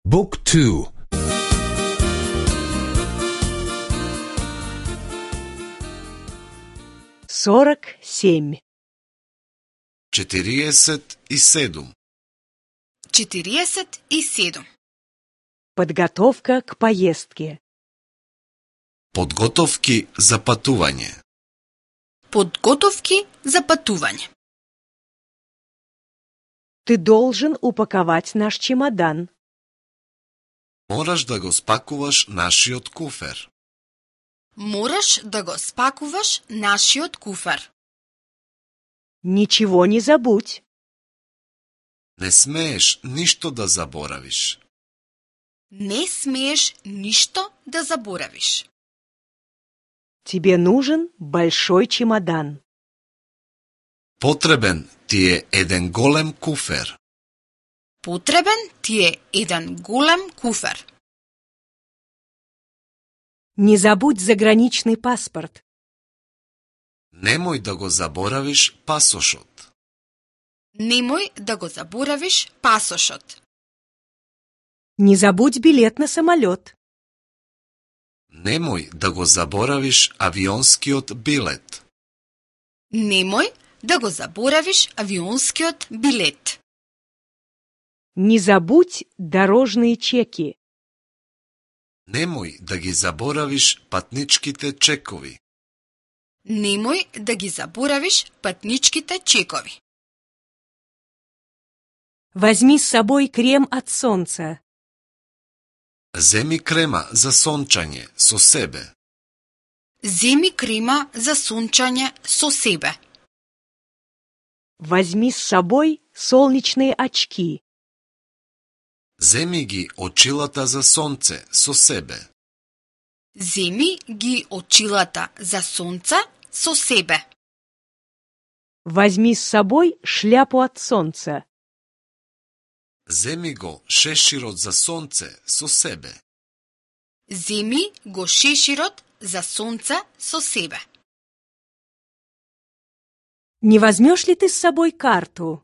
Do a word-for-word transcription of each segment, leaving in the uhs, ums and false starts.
Book two. сорок семь. четириесет и седум. четириесет и седум. Подготовка к поездке. Подготовки за патување. Подготовки за патување. Ты должен упаковать наш чемодан. Мораш да го спакуваш нашиот куфер. Мораш да го спакуваш нашиот куфер. Ничего не забудь. Не смееш ништо да заборавиш. Не смееш ништо да заборавиш. Тебе нужен большой чемодан. Потребен ти е еден голем куфер. Потребен ти е еден голем куфер. Не забудь заграничный паспорт. Немој да го заборавиш пасошот. Немој да го заборавиш пасошот. Не забудь билет на самолет. Немој да го заборавиш авионскиот билет. Немој да го заборавиш авионскиот билет. Не забудь дорожные чеки. Немој да ги заборавиш патничките чекови. Немој да ги заборавиш патничките чекови. Возьми с собой крем от солнца. Земи крема за сончање со себе. Земи крема за сончање со себе. Возьми с собой солнечные очки. Земи ги очилата за сонце со себе. Земи ги очилата за сонце со себе. Возьми с собой шляпу от солнца. Земи го шеширот за сонце со себе. Земи го шеширот за сонце со себе. Не возьмешь ли ты с собой карту?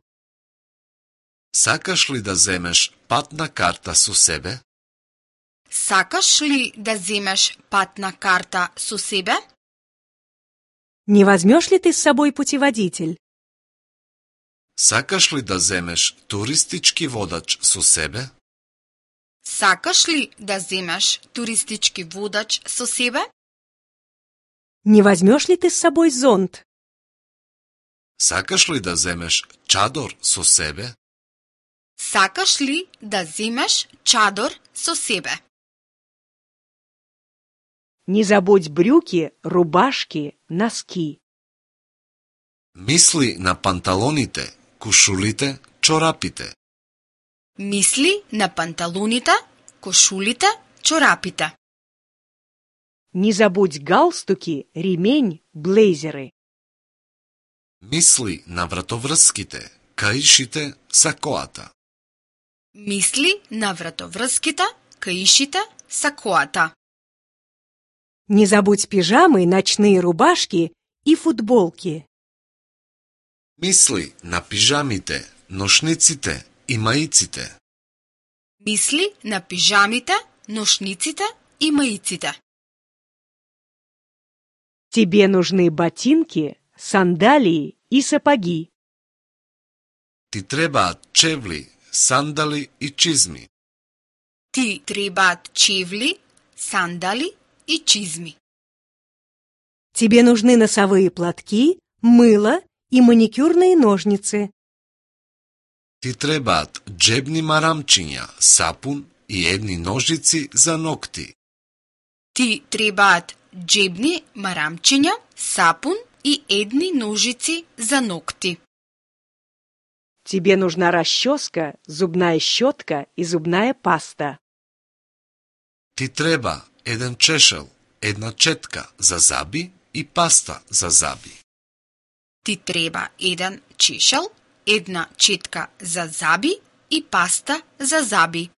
Сакаш ли да земеш патна карта со себе? Сакаш ли да земеш патна карта со себе? Не возьмешь ли ты с собой путеводитель? Сакаш ли да земеш туристички водач со себе? Сакаш ли да земеш туристички водач со себе? Не возьмешь ли ты с собой зонт? Сакаш ли да земеш чадор со себе? Сакаш ли да земеш чадор со себе? Не забудь брюки, рубашки, носки. Мисли на панталоните, кушулите, чорапите. Мисли на панталоните, кошулите, чорапите. Не забудь галстуки, ремень, блейзеры. Мисли на вратоврските, каишите, сакоата. Мисли на вратоврските, каишите, сакоата. Не забудь пижамы, ночные рубашки и футболки. Мисли на пижамите, ношниците и маиците. Мисли на пижамите, ношниците и маиците. Тебе нужны ботинки, сандалии и сапоги. Ти требаат чевли, сандали и чизми. Ти требаат чевли, сандали и чизми. Тебе нужны носовые платки, мыло и маникюрные ножницы. Ти требаат джебни марамчиња, сапун и едни ножици за ногти. Ти требаат джебни марамчиња, сапун и едни ножици за ногти. Тебе нужна расческа, зубная щетка и зубная паста. Ти треба еден чешел, една четка за заби и паста за заби. Ти треба еден чешел, една четка за заби и паста за заби.